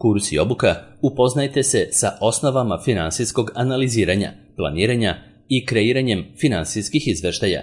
Kurs i obuka, upoznajte se sa osnovama finansijskog analiziranja, planiranja i kreiranjem finansijskih izveštaja.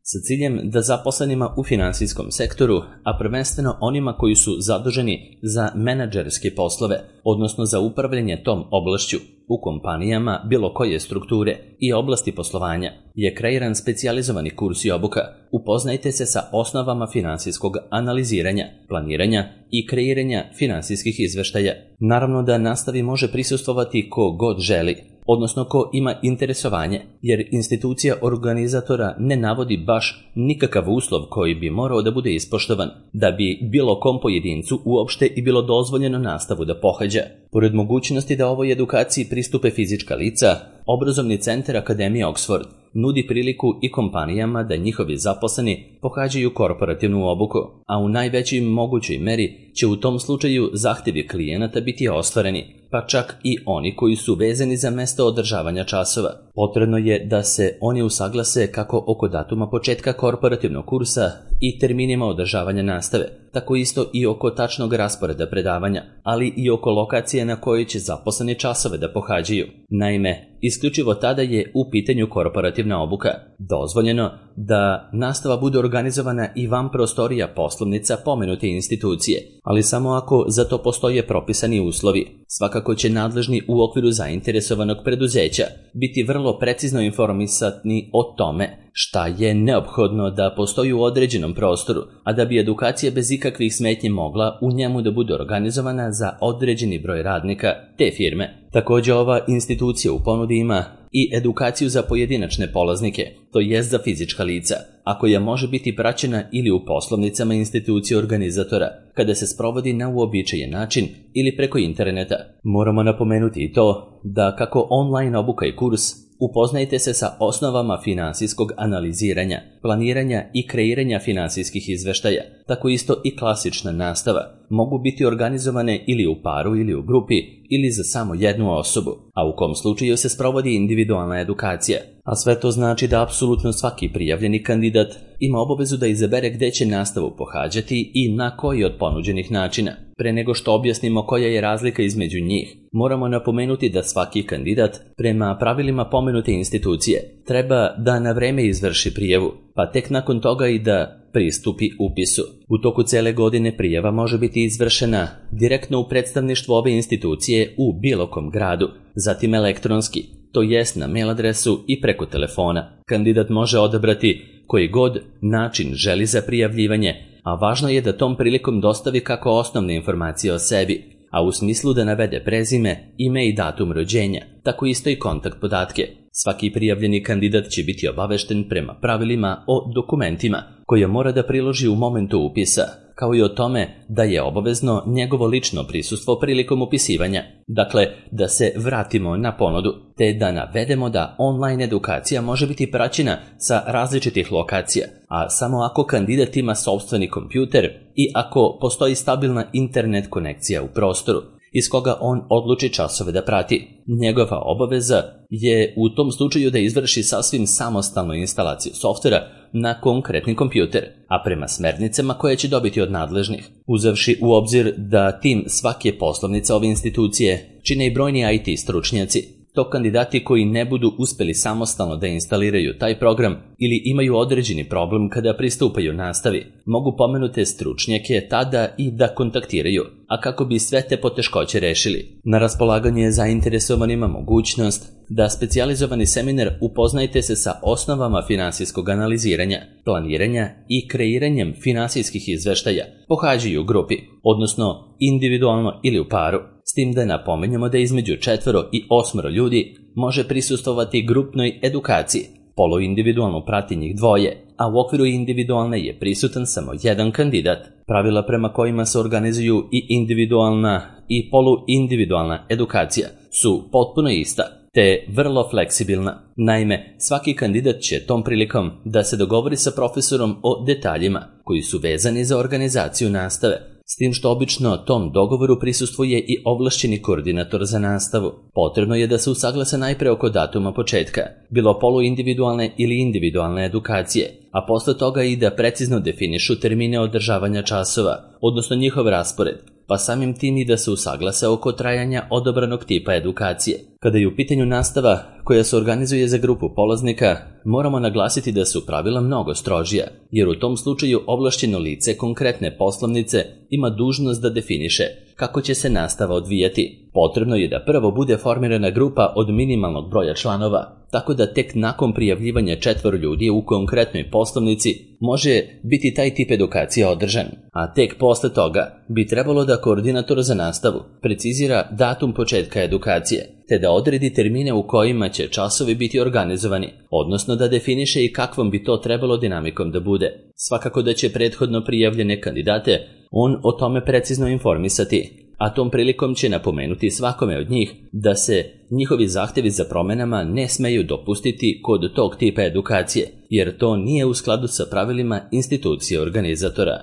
Sa ciljem da zaposlenima u finansijskom sektoru, a prvenstveno onima koji su zaduženi za menadžerske poslove, odnosno za upravljanje tom oblašću u kompanijama bilo koje strukture i oblasti poslovanja, je kreiran specijalizovani kurs i obuka. Upoznajte se sa osnovama finansijskog analiziranja, planiranja i kreiranja finansijskih izveštaja. Naravno da nastavi može prisustvovati ko god želi, odnosno ko ima interesovanje, jer institucija organizatora ne navodi baš nikakav uslov koji bi morao da bude ispoštovan, da bi bilo kom pojedincu uopšte i bilo dozvoljeno nastavu da pohađa. Pored mogućnosti da ovoj edukaciji pristupe fizička lica, obrazovni centar Akademije Oxford nudi priliku i kompanijama da njihovi zaposleni pohađaju korporativnu obuku, a u najvećoj mogućoj meri će u tom slučaju zahtjevi klijenata biti ostvareni, pa čak i oni koji su vezani za mesto održavanja časova. Potrebno je da se oni usaglase kako oko datuma početka korporativnog kursa i terminima održavanja nastave, tako isto i oko tačnog rasporeda predavanja, ali i oko lokacije na kojoj će zaposleni časove da pohađaju. Naime, isključivo tada je u pitanju korporativna obuka. Dozvoljeno da nastava bude organizovana i van prostorija poslovnica pomenute institucije, ali samo ako za to postoje propisani uslovi. Svakako će nadležni u okviru zainteresovanog preduzeća biti vrlo precizno informisani o tome šta je neophodno da postoji u određenom prostoru, a da bi edukacija bez ikakvih smetnji mogla u njemu da bude organizovana za određeni broj radnika te firme. Također ova institucija u ponudi ima i edukaciju za pojedinačne polaznike, to jest za fizička lica, a koja može biti praćena ili u poslovnicama institucije organizatora, kada se sprovodi na uobičajen način ili preko interneta. Moramo napomenuti i to da kako online obuka i kurs, upoznajte se sa osnovama finansijskog analiziranja, planiranja i kreiranja finansijskih izveštaja, tako isto i klasična nastava, mogu biti organizovane ili u paru ili u grupi ili za samo jednu osobu, a u kom slučaju se sprovodi individualna edukacija. A sve to znači da apsolutno svaki prijavljeni kandidat ima obavezu da izabere gde će nastavu pohađati i na koji od ponuđenih načina. Pre nego što objasnimo koja je razlika između njih, moramo napomenuti da svaki kandidat, prema pravilima pomenute institucije, treba da na vreme izvrši prijavu, pa tek nakon toga i da pristupi upisu. U toku cele godine prijava može biti izvršena direktno u predstavništvu ove institucije u bilo kom gradu, zatim elektronski, to jest na mail adresu i preko telefona. Kandidat može odabrati koji god način želi za prijavljivanje, a važno je da tom prilikom dostavi kako osnovne informacije o sebi, a u smislu da navede prezime, ime i datum rođenja, tako isto i kontakt podatke. Svaki prijavljeni kandidat će biti obavešten prema pravilima o dokumentima koje mora da priloži u momentu upisa, kao i o tome da je obavezno njegovo lično prisustvo prilikom upisivanja. Dakle, da se vratimo na ponudu, te da navedemo da online edukacija može biti praćena sa različitih lokacija, a samo ako kandidat ima sopstveni kompjuter i ako postoji stabilna internet konekcija u prostoru iz koga on odluči časove da prati. Njegova obaveza je u tom slučaju da izvrši sasvim samostalnu instalaciju softvera na konkretni kompjuter, a prema smernicama koje će dobiti od nadležnih. Uzevši u obzir da tim svake poslovnice ove institucije čine i brojni IT stručnjaci, to kandidati koji ne budu uspeli samostalno da instaliraju taj program ili imaju određeni problem kada pristupaju nastavi, mogu pomenute stručnjake tada i da kontaktiraju, a kako bi sve te poteškoće rešili. Na raspolaganje je zainteresovanima mogućnost da specijalizovani seminar upoznajte se sa osnovama finansijskog analiziranja, planiranja i kreiranjem finansijskih izveštaja pohađaju u grupi, odnosno individualno ili u paru. S tim da napomenjamo da između 4 i 8 ljudi može prisustvovati grupnoj edukaciji. Poluindividualno prati njih 2, a u okviru individualne je prisutan samo jedan kandidat. Pravila prema kojima se organizuju i individualna i poluindividualna edukacija su potpuno ista, te vrlo fleksibilna. Naime, svaki kandidat će tom prilikom da se dogovori sa profesorom o detaljima koji su vezani za organizaciju nastave, s tim što obično tom dogovoru prisustvuje i ovlašćeni koordinator za nastavu. Potrebno je da se usaglase najpre oko datuma početka, bilo poluindividualne ili individualne edukacije, a posle toga i da precizno definišu termine održavanja časova, odnosno njihov raspored, pa samim tim i da se usaglase oko trajanja odabranog tipa edukacije. Kada je u pitanju nastava koja se organizuje za grupu polaznika, moramo naglasiti da su pravila mnogo strožija, jer u tom slučaju ovlašćeno lice konkretne poslovnice ima dužnost da definiše kako će se nastava odvijati. Potrebno je da prvo bude formirana grupa od minimalnog broja članova, tako da tek nakon prijavljivanja 4 ljudi u konkretnoj poslovnici može biti taj tip edukacije održan, a tek posle toga bi trebalo da koordinator za nastavu precizira datum početka edukacije, te da odredi termine u kojima će časovi biti organizovani, odnosno da definiše i kakvom bi to trebalo dinamikom da bude. Svakako da će prethodno prijavljene kandidate on o tome precizno informisati, a tom prilikom će napomenuti svakome od njih da se njihovi zahtevi za promenama ne smeju dopustiti kod tog tipa edukacije, jer to nije u skladu sa pravilima institucije organizatora.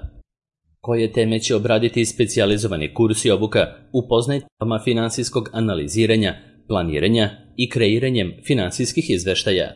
Koje teme će obraditi specijalizovani kurs i obuka upoznajte finansijskog analiziranja, planiranja i kreiranjem finansijskih izveštaja.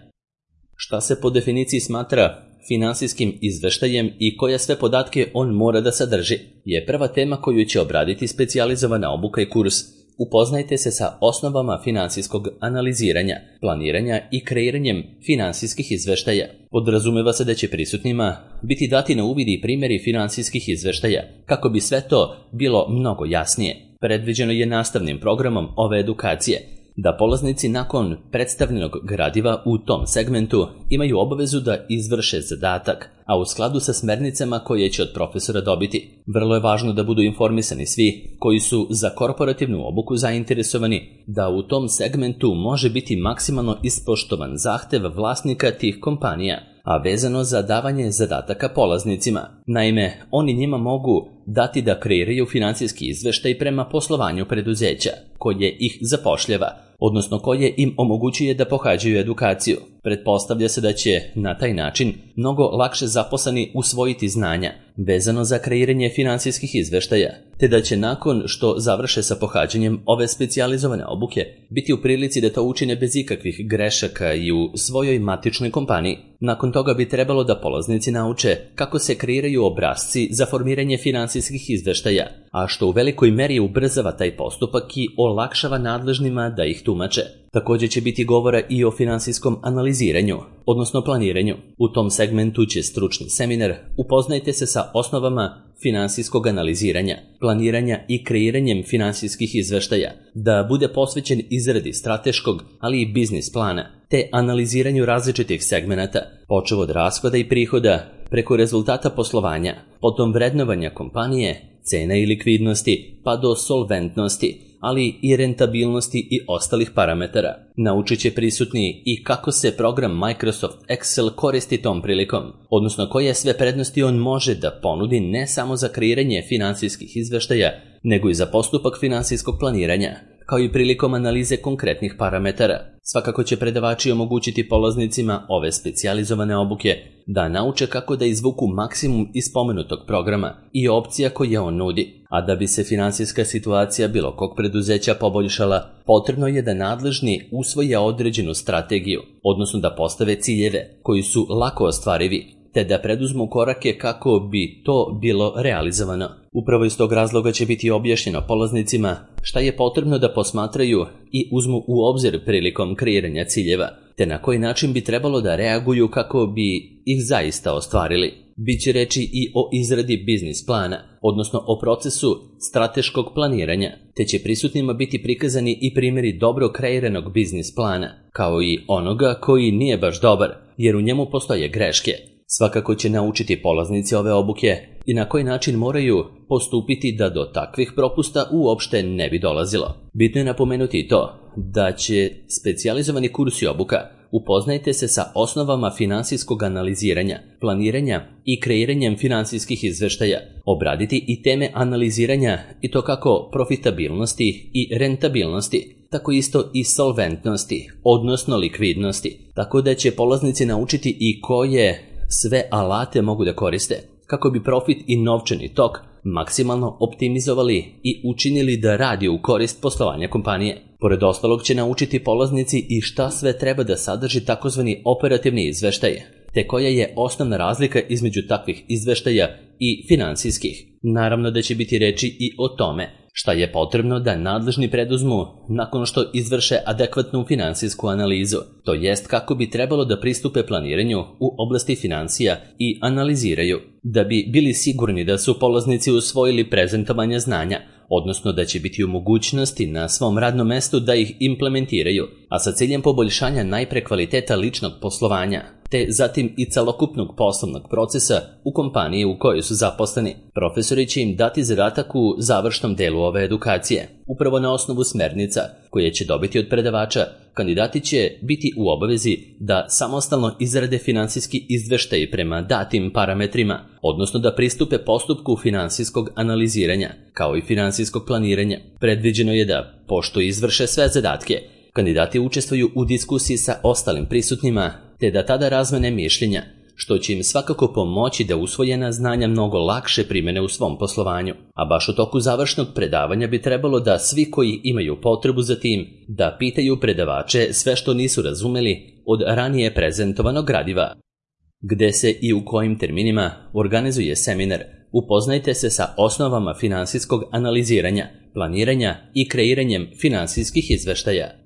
Šta se po definiciji smatra finansijskim izveštajem i koje sve podatke on mora da sadrži, je prva tema koju će obraditi specijalizovana obuka i kurs. Upoznajte se sa osnovama finansijskog analiziranja, planiranja i kreiranjem finansijskih izveštaja. Podrazumeva se da će prisutnima biti dati na uvid i primjeri finansijskih izveštaja, kako bi sve to bilo mnogo jasnije. Predviđeno je nastavnim programom ove edukacije da polaznici nakon predstavljenog gradiva u tom segmentu imaju obavezu da izvrše zadatak, a u skladu sa smernicama koje će od profesora dobiti. Vrlo je važno da budu informisani svi koji su za korporativnu obuku zainteresovani da u tom segmentu može biti maksimalno ispoštovan zahtev vlasnika tih kompanija, a vezano za davanje zadataka polaznicima. Naime, oni njima mogu dati da kreiraju finansijski izveštaj prema poslovanju preduzeća koje ih zapošljava, odnosno koje im omogućuje da pohađaju edukaciju. Pretpostavlja se da će na taj način mnogo lakše zaposleni usvojiti znanja vezano za kreiranje finansijskih izveštaja, te da će nakon što završe sa pohađanjem ove specijalizovane obuke biti u prilici da to učine bez ikakvih grešaka i u svojoj matičnoj kompaniji. Nakon toga bi trebalo da polaznici nauče kako se kreiraju obrasci za formiranje finansijskih izveštaja, a što u velikoj meri ubrzava taj postupak i olakšava nadležnima da ih tumače. Također će biti govora i o finansijskom analiziranju, odnosno planiranju. U tom segmentu će stručni seminar Upoznajte se sa osnovama finansijskog analiziranja, planiranja i kreiranjem finansijskih izveštaja, da bude posvećen izradi strateškog, ali i biznis plana, te analiziranju različitih segmenata, počev od rashoda i prihoda, preko rezultata poslovanja, potom vrednovanja kompanije, cena i likvidnosti, pa do solventnosti, ali i rentabilnosti i ostalih parametara. Naučit će prisutni i kako se program Microsoft Excel koristi tom prilikom, odnosno koje sve prednosti on može da ponudi ne samo za kreiranje finansijskih izveštaja, nego i za postupak finansijskog planiranja, kao i prilikom analize konkretnih parametara. Svakako će predavači omogućiti polaznicima ove specijalizovane obuke da nauče kako da izvuku maksimum iz spomenutog programa i opcija koje on nudi. A da bi se finansijska situacija bilo kog preduzeća poboljšala, potrebno je da nadležni usvoje određenu strategiju, odnosno da postave ciljeve koji su lako ostvarivi, te da preduzmu korake kako bi to bilo realizovano. Upravo iz tog razloga će biti objašnjeno polaznicima šta je potrebno da posmatraju i uzmu u obzir prilikom kreiranja ciljeva, te na koji način bi trebalo da reaguju kako bi ih zaista ostvarili. Biće reči i o izradi biznis plana, odnosno o procesu strateškog planiranja, te će prisutnima biti prikazani i primjeri dobro kreiranog biznis plana, kao i onoga koji nije baš dobar, jer u njemu postoje greške. Svakako će naučiti polaznici ove obuke i na koji način moraju postupiti da do takvih propusta uopšte ne bi dolazilo. Bitno je napomenuti i to da će specijalizovani kurs i obuka Upoznajte se sa osnovama finansijskog analiziranja, planiranja i kreiranjem finansijskih izveštaja, obraditi i teme analiziranja i to kako profitabilnosti i rentabilnosti, tako isto i solventnosti, odnosno likvidnosti, tako da će polaznici naučiti i koje sve alate mogu da koriste, kako bi profit i novčani tok maksimalno optimizovali i učinili da radi u korist poslovanja kompanije. Pored ostalog će naučiti polaznici i šta sve treba da sadrži takozvani operativni izveštaj, te koja je osnovna razlika između takvih izveštaja i finansijskih. Naravno da će biti reči i o tome šta je potrebno da nadležni preduzmu nakon što izvrše adekvatnu finansijsku analizu, to jest kako bi trebalo da pristupe planiranju u oblasti financija i analiziraju, da bi bili sigurni da su polaznici usvojili prezentovanje znanja, odnosno da će biti u mogućnosti na svom radnom mestu da ih implementiraju, a sa ciljem poboljšanja najpre kvaliteta ličnog poslovanja, te zatim i celokupnog poslovnog procesa u kompaniji u kojoj su zaposleni. Profesori će im dati zadatak u završnom delu ove edukacije. Upravo na osnovu smernica koje će dobiti od predavača, kandidati će biti u obavezi da samostalno izrade finansijski izveštaj prema datim parametrima, odnosno da pristupe postupku finansijskog analiziranja, kao i finansijskog planiranja. Predviđeno je da, pošto izvrše sve zadatke, kandidati učestvuju u diskusiji sa ostalim prisutnima, te da tada razmene mišljenja, što će im svakako pomoći da usvojena znanja mnogo lakše primene u svom poslovanju. A baš u toku završnog predavanja bi trebalo da svi koji imaju potrebu za tim, da pitaju predavače sve što nisu razumeli od ranije prezentovanog gradiva. Gde se i u kojim terminima organizuje seminar, upoznajte se sa osnovama finansijskog analiziranja, planiranja i kreiranjem finansijskih izveštaja.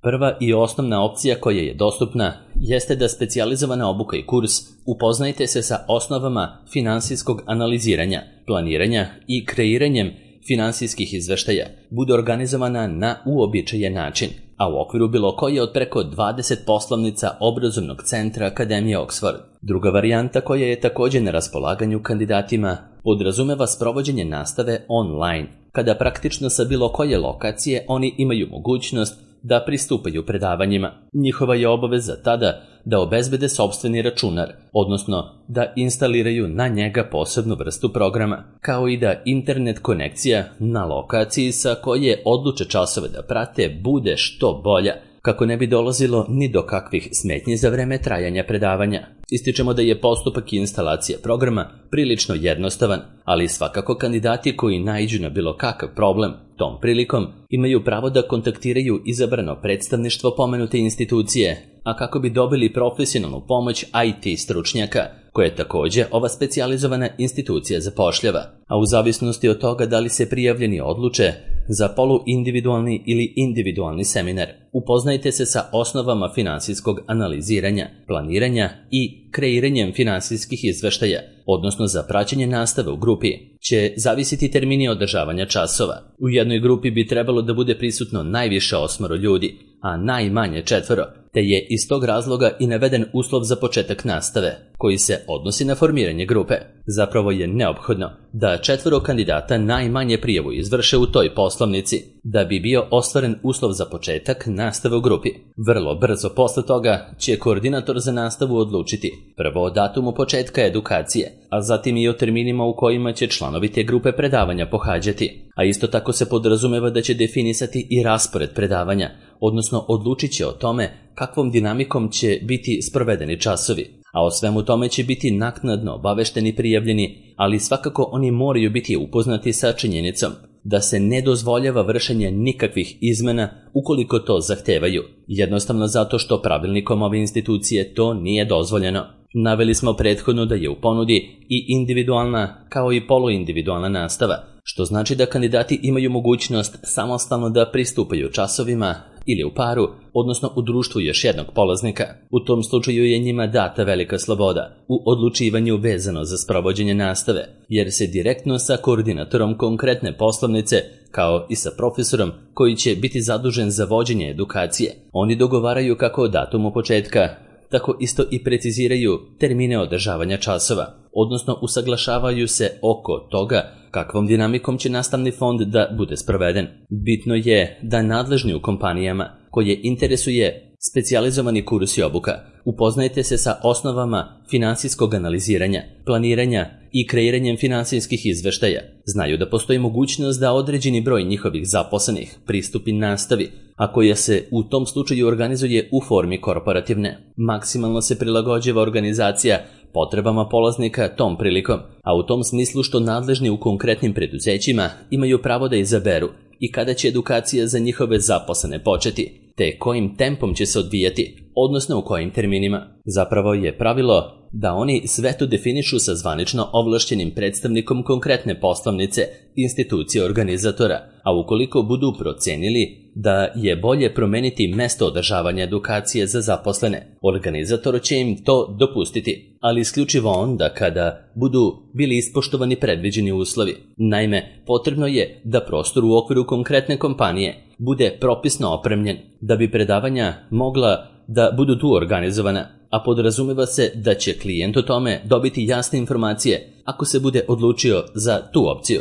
Prva i osnovna opcija koja je dostupna jeste da specijalizovana obuka i kurs upoznajte se sa osnovama finansijskog analiziranja, planiranja i kreiranjem finansijskih izveštaja bude organizovana na uobičajen način, a u okviru bilo koje od preko 20 poslovnica obrazovnog centra Akademije Oxford. Druga varijanta koja je također na raspolaganju kandidatima podrazumeva sprovođenje nastave online, kada praktično sa bilo koje lokacije oni imaju mogućnost da pristupaju predavanjima. Njihova je obaveza tada da obezbede sopstveni računar, odnosno da instaliraju na njega posebnu vrstu programa, kao i da internet konekcija na lokaciji sa koje odluče časove da prate bude što bolja, kako ne bi dolazilo ni do kakvih smetnji za vreme trajanja predavanja. Ističemo da je postupak instalacije programa prilično jednostavan, ali svakako kandidati koji naiđu na bilo kakav problem tom prilikom imaju pravo da kontaktiraju izabrano predstavništvo pomenute institucije, a kako bi dobili profesionalnu pomoć IT stručnjaka, koje također ova specijalizovana institucija zapošljava, a u zavisnosti od toga da li se prijavljeni odluče za poluindividualni ili individualni seminar, upoznajte se sa osnovama finansijskog analiziranja, planiranja i kreiranjem finansijskih izveštaja, odnosno za praćenje nastave u grupi, će zavisiti termini održavanja časova. U jednoj grupi bi trebalo da bude prisutno najviše 8 ljudi, a najmanje 4, te je iz tog razloga i naveden uslov za početak nastave, koji se odnosi na formiranje grupe. Zapravo je neophodno da 4 kandidata najmanje prijavu izvrše u toj poslovnici, da bi bio ostvaren uslov za početak nastave u grupi. Vrlo brzo posle toga će koordinator za nastavu odlučiti prvo o datumu početka edukacije, a zatim i o terminima u kojima će članovi te grupe predavanja pohađati. A isto tako se podrazumeva da će definisati i raspored predavanja, odnosno odlučit će o tome kakvom dinamikom će biti sprovedeni časovi. A o svemu tome će biti naknadno obavešteni prijavljeni, ali svakako oni moraju biti upoznati sa činjenicom da se ne dozvoljava vršenje nikakvih izmena ukoliko to zahtevaju, jednostavno zato što pravilnikom ove institucije to nije dozvoljeno. Naveli smo prethodno da je u ponudi i individualna kao i poluindividualna nastava, što znači da kandidati imaju mogućnost samostalno da pristupaju časovima ili u paru, odnosno u društvu još jednog polaznika. U tom slučaju je njima data velika sloboda u odlučivanju vezano za sprovođenje nastave, jer se direktno sa koordinatorom konkretne poslovnice, kao i sa profesorom koji će biti zadužen za vođenje edukacije, oni dogovaraju kako o datumu početka, tako isto i preciziraju termine održavanja časova, odnosno usaglašavaju se oko toga kakvom dinamikom će nastavni fond da bude sproveden. Bitno je da nadležni u kompanijama koje interesuje specijalizovani kurs i obuka upoznajte se sa osnovama finansijskog analiziranja, planiranja i kreiranjem finansijskih izveštaja. Znaju da postoji mogućnost da određeni broj njihovih zaposlenih pristupi nastavi, a koja se u tom slučaju organizuje u formi korporativne. Maksimalno se prilagođava organizacija potrebama polaznika tom prilikom, a u tom smislu što nadležni u konkretnim preduzećima imaju pravo da izaberu i kada će edukacija za njihove zaposlene početi, te kojim tempom će se odvijati, odnosno u kojim terminima. Zapravo je pravilo da oni sve to definišu sa zvanično ovlašćenim predstavnikom konkretne poslovnice, institucije organizatora, a ukoliko budu procenili da je bolje promeniti mesto održavanja edukacije za zaposlene, organizator će im to dopustiti, ali isključivo onda kada budu bili ispoštovani predviđeni uslovi. Naime, potrebno je da prostor u okviru konkretne kompanije bude propisno opremljen, da bi predavanja mogla da budu tu organizovana, a podrazumeva se da će klijent o tome dobiti jasne informacije ako se bude odlučio za tu opciju.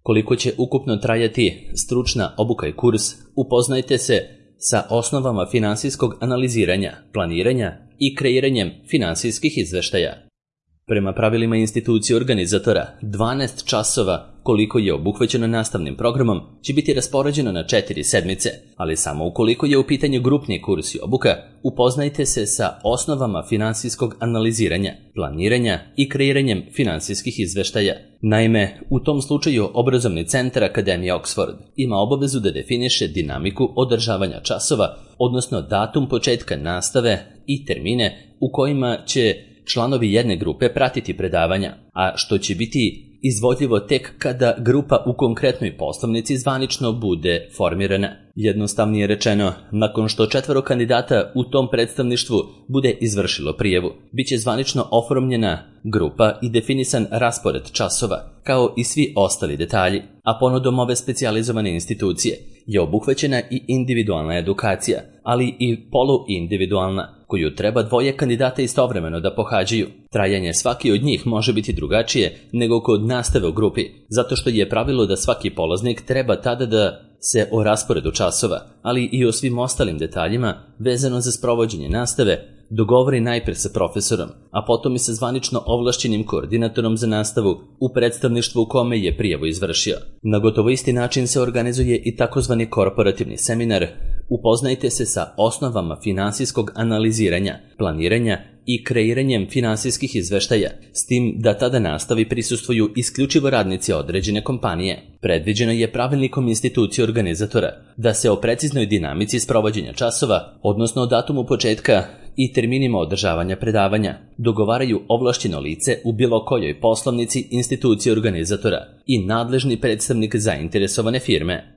Koliko će ukupno trajati stručna obuka i kurs, upoznajte se sa osnovama finansijskog analiziranja, planiranja i kreiranjem finansijskih izveštaja. Prema pravilima institucije organizatora, 12 časova koliko je obuhvaćeno nastavnim programom će biti raspoređeno na 4 sedmice, ali samo ukoliko je u pitanju grupni kurs i obuka, upoznajte se sa osnovama finansijskog analiziranja, planiranja i kreiranjem finansijskih izveštaja. Naime, u tom slučaju obrazovni centar Akademije Oxford ima obavezu da definiše dinamiku održavanja časova, odnosno datum početka nastave i termine u kojima će članovi jedne grupe pratiti predavanja, a što će biti izvodljivo tek kada grupa u konkretnoj poslovnici zvanično bude formirana. Jednostavnije rečeno, nakon što 4 kandidata u tom predstavništvu bude izvršilo prijavu, bit će zvanično oformljena grupa i definisan raspored časova, kao i svi ostali detalji, a ponudom ove specijalizovane institucije je obuhvaćena i individualna edukacija, ali i poluindividualna, koju treba 2 kandidata istovremeno da pohađaju. Trajanje svaki od njih može biti drugačije nego kod nastave u grupi, zato što je pravilo da svaki polaznik treba tada da se o rasporedu časova, ali i o svim ostalim detaljima vezano za sprovođenje nastave, dogovori najpre sa profesorom, a potom i sa zvanično ovlašćenim koordinatorom za nastavu u predstavništvu u kome je prijavu izvršio. Na gotovo isti način se organizuje i takozvani korporativni seminar. Upoznajte se sa osnovama finansijskog analiziranja, planiranja i kreiranjem finansijskih izveštaja, s tim da tada nastavi prisustvuju isključivo radnici određene kompanije. Predviđeno je pravilnikom institucije organizatora da se o preciznoj dinamici sprovođenja časova, odnosno o datumu početka i terminima održavanja predavanja, dogovaraju ovlašćeno lice u bilo kojoj poslovnici institucije organizatora i nadležni predstavnik zainteresovane firme.